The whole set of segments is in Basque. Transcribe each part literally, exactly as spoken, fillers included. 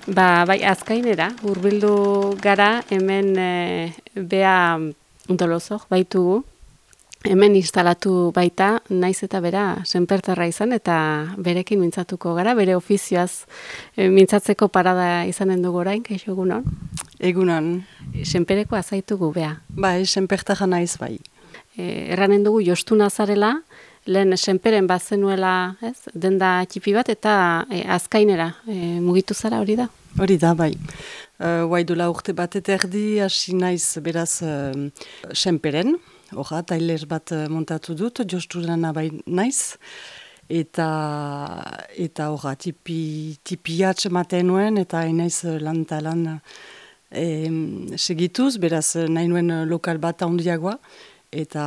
Ba, bai, azkainera, hurbildu gara, hemen e, bea Dolosok baitugu, hemen instalatu baita, naiz eta bera senpertarra izan, eta berekin mintzatuko gara, bere ofizioaz e, mintzatzeko parada izanen dugu orain, kaixo egunon? Egunon. Senpereko azaitugu bea. Bai, senpertarra naiz bai. E, erranen dugu jostuna zarela, lehen senperen bazenuela, ez, denda txipi bat, eta e, azkainera e, mugitu zara hori da? Hori da, bai. Uh, Guaidula urte bat eta erdi, hasi naiz beraz uh, senperen, horra, tailer bat uh, montatu dut, josturana bai naiz, eta eta horra, tipi, tipi atx ematen nuen, eta hain naiz uh, lan eta lan uh, segituz, beraz uh, nahi nuen uh, lokal bat handiagoa, eta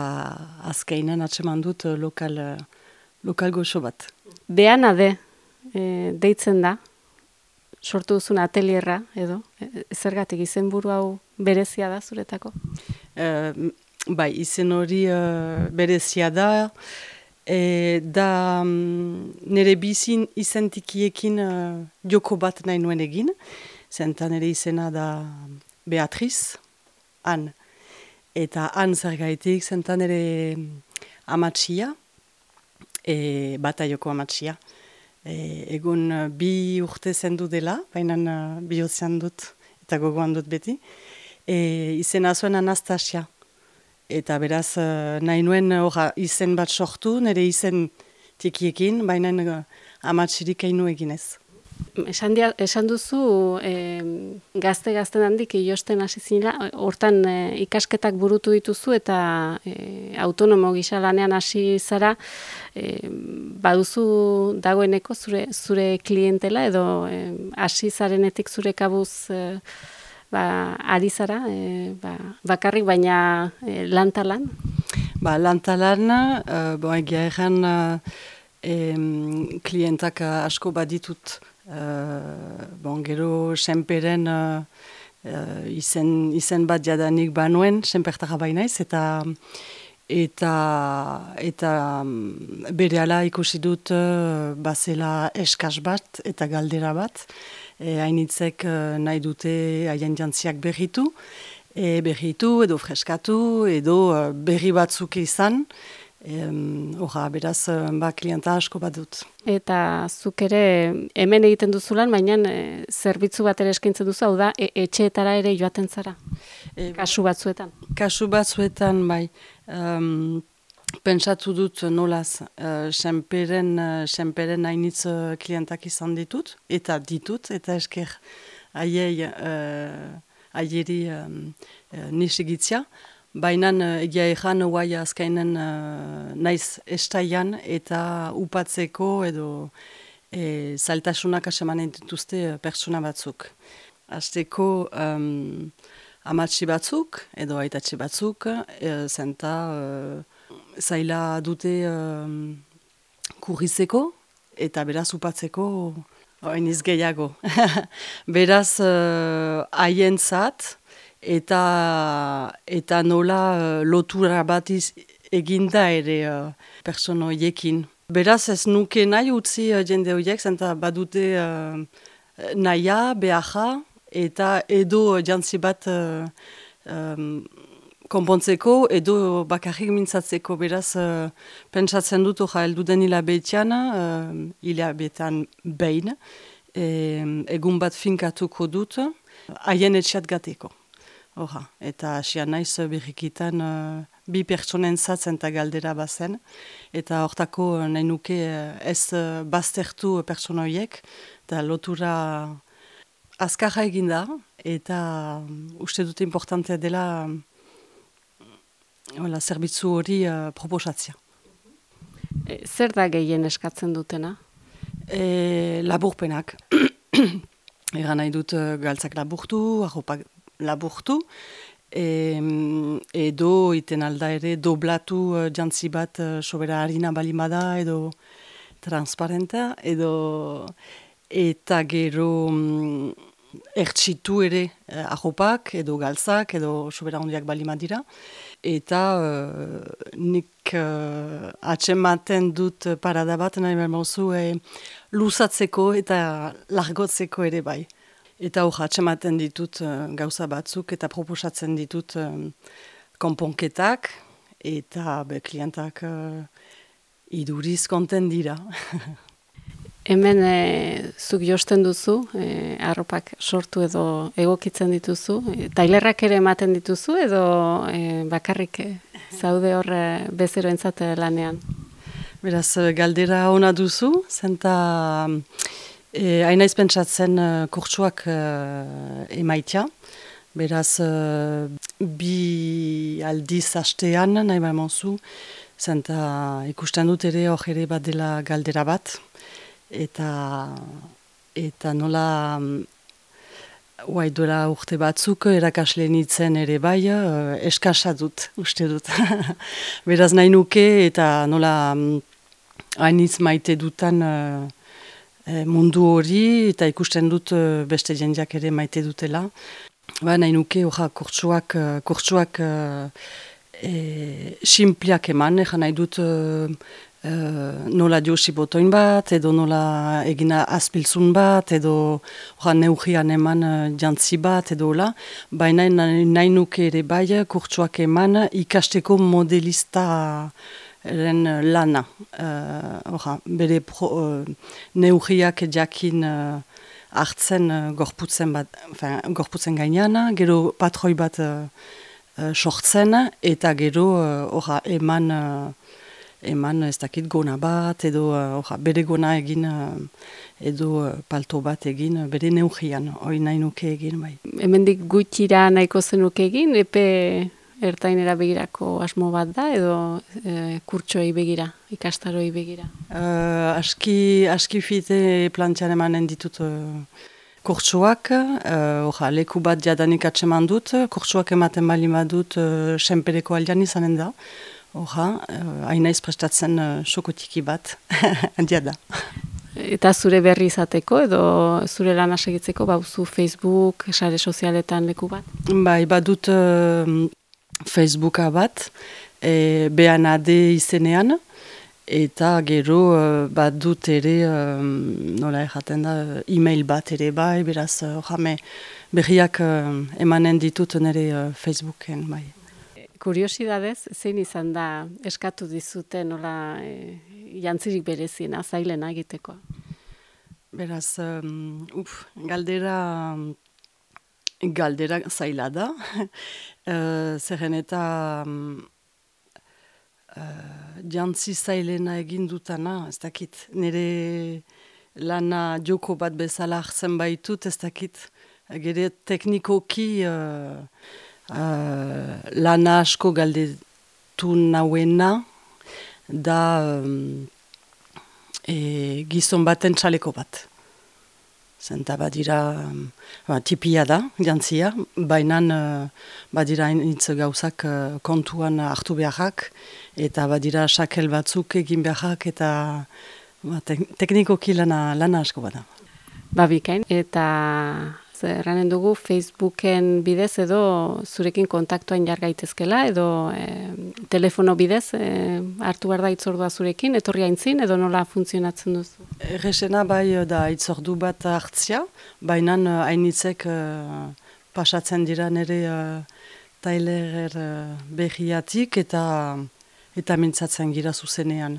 azkainan atxeman dut uh, lokal, uh, lokal goxo bat. Bean ade, e, deitzen da, sortu duzun atelierra, edo, e, zergatik izenburu hau berezia da zuretako? Uh, bai, izen hori uh, berezia da, e, da um, nire bizin izentikiekin uh, joko bat nahi nuen egin, zenta nire izena da Beatriz, han. Eta han zergaitik, zenta nire amatxia, e, bata joko amatxia. E, egun uh, bi urte zendu dela, baina uh, bihotzean dut eta gogoan dut beti. E, izena zuen Anastasia. Eta beraz uh, nahi nuen uh, izen bat sortu, nire izen tikiekin, baina uh, amatxirik hainu eginez. Esan, dia, esan duzu e, gazte-gazten handik iosten hasi zinela, hortan e, ikasketak burutu dituzu eta e, autonomo gisa lanean hasi zara, e, baduzu dagoeneko zure zure klientela edo e, hasi zarenetik zure kabuz e, ba, ari zara, e, ba, bakarrik baina e, lantalan? Ba, lantalan, uh, bo, egia erran uh, em, klientak uh, asko baditut. Uh, bon, gero senperen uh, uh, izen, izen bat jadanik banuen, senpertara bainaiz, eta eta eta um, berehala ikusi dut uh, bazela eskas bat eta galdera bat, e, hainitzek uh, nahi dute haien jantziak berritu, e, berritu edo freskatu edo uh, berri batzuk izan. Horra, um, beraz, ba, klienta asko bat dut. Eta zuk ere hemen egiten duzulan, baina e, zerbitzu bat ere eskaintzen duzu, hau da, e, etxeetara ere joaten zara, e, kasu batzuetan. Kasu batzuetan, bai. Um, pentsatu dut nolaz, uh, senperen, uh, senperen hainitz uh, klientak izan ditut, eta ditut, eta esker haiei, uh, haieri um, uh, nisigitzia. Baina egia ezan guai azkainen uh, naiz estaian eta upatzeko edo e, zailtasunak asemanen dituzte pertsona batzuk. Azteko um, amatxi batzuk edo aitatxi batzuk e, zenta uh, zaila dute um, kurrizeko eta beraz upatzeko hainiz gehiago. Beraz haientzat, Eta, eta nola uh, lotura bat eginda ere uh, pertsona horiekin. Beraz ez nuke nahi utzi uh, jende horiek, zenta badute uh, nahia, beharra, eta edo jantzi bat uh, um, konpontzeko, edo bakarrik mintzatzeko. Beraz, uh, pentsatzen dut hori helduden hilabetean, uh, hilabetean behin, e, egun bat finkatuko dut, haien etxeat gateko. Oha, eta asian naiz berrikitan uh, bi pertsonen zatzen eta galdera bazen, eta hortako uh, nahi nuke uh, ez uh, baztertu pertsona horiek, eta lotura azkarra eginda, eta um, uste dute importantea dela um, zerbitzu hori uh, proposatzea. E, zer da gehien eskatzen dutena? E, laburpenak. Egan nahi dut uh, galtzak laburtu, arropak laburtu, e, edo iten alda ere doblatu uh, jantzi bat uh, sobera harina balimada edo transparenta, edo eta gero um, ertsitu ere uh, arropak edo galtzak edo sobera hondiak balimadira. Eta uh, nik uh, atsematen dut parada bat, nahi behar mauzu, e, luzatzeko eta largotzeko ere bai. Eta hor atxematen ditut uh, gauza batzuk eta proposatzen ditut um, konponketak eta be, klientak uh, iduriz konten dira. Hemen e, zuk josten duzu, e, arropak sortu edo egokitzen dituzu, e, tailerrak ere ematen dituzu edo e, bakarrik e, zaude hor e, bezeroentzat lanean? Beraz, galdera ona duzu, zenta e, hainaiz pentsatzen uh, kurtsuak uh, emaitia. Beraz, uh, bi aldiz hastean nahi baimonzu, zenta ikusten dut ere hor ere bat dela galdera bat. Eta, eta nola uai duela urte batzuk erakasle nintzen ere bai, uh, eskasa dut, uste dut. Beraz nahi nuke eta nola hainitz maite dutan uh, mundu hori eta ikusten dut uh, beste jendeak ere maite dutela. Ba, nahi nuke orra kurtsuak, uh, kurtsuak uh, e, simpliak eman, egan nahi dut uh, Uh, nola josi botoin bat, edo nola egina azpiltzun bat, edo oran neugian eman uh, jantzi bat, edo hola. Baina nahi nuke ere bai, kurtsuak eman ikasteko modelista lana. Uh, ora, bere pro, uh, neugiak jakin uh, hartzen uh, gorputzen, bat, enfin, gorputzen gainean, gero patroi bat uh, uh, sortzen, eta gero uh, ora, eman... Uh, eman ez dakit gona bat, edo uh, bere gona egin, uh, edo uh, palto bat egin, uh, bere neugian, hori nahi nuke egin bai. Hemendik gutxira nahiko zenuke egin, epe ertainera begirako asmo bat da, edo e, kurtsoei begira, ikastaroi begira? Uh, aski, aski fite plantxan emanen ditut uh, kurtsoak, uh, leku bat jadanik atseman dut, kurtsoak ematen bali badut uh, senpereko aldean izanen da. Hora, hainaiz uh, prestatzen uh, sokotiki bat, handia da. Eta zure berri izateko edo zure lana segitzeko bauzu Facebook, sare sozialetan leku bat? Bai, badut uh, Facebooka bat, e, beanade izenean, eta gero uh, badut ere, um, nola erraten da, e-mail bat ere bai, beraz, uh, jame, berriak uh, emanen ditut nire uh, Facebooken bai. Kuriosidadez, zein izan da eskatu dizute nola e, jantzirik bereziena, zailena egiteko? Beraz, um, uf, galdera, galdera zaila da. uh, Zerren eta um, uh, jantzi zailena egin dutana, ez dakit, nire lana joko bat bezala hartzen baitut, ez dakit, gero teknikoki... Uh, Uh, lana asko galdetu nauena da um, e, gizon baten txaleko bat. Zenta badira, um, ba, tipia da, jantzia, baina uh, badira initz gauzak uh, kontuan hartu beharrak, eta badira sakel batzuk egin beharrak, eta ba, te teknikoki lana, lana asko bada. Babikain, eta... Erranen dugu Facebooken bidez edo zurekin kontaktuan jar gaitezkela edo e, telefono bidez e, hartu behar da itzordua zurekin, etorri aintzin edo nola funtzionatzen duzu? Errexena bai da itzordu bat hartzia, baina hainitzek uh, pasatzen dira nire uh, tailer uh, behiatik eta eta mintzatzen gira zuzenean.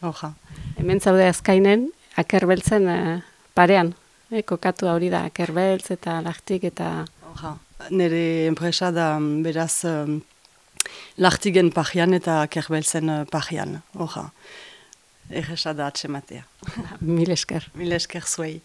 Oja. Hemen zaude azkainen, akerbeltzen uh, parean. E, kokatu hori da, kerbeltz eta lachtik eta... Oja, nire enpresa da beraz um, lachtigen pajian eta kerbeltzen uh, pajian. Oja, erresa da atsematea. Mil esker. Mil esker zuei.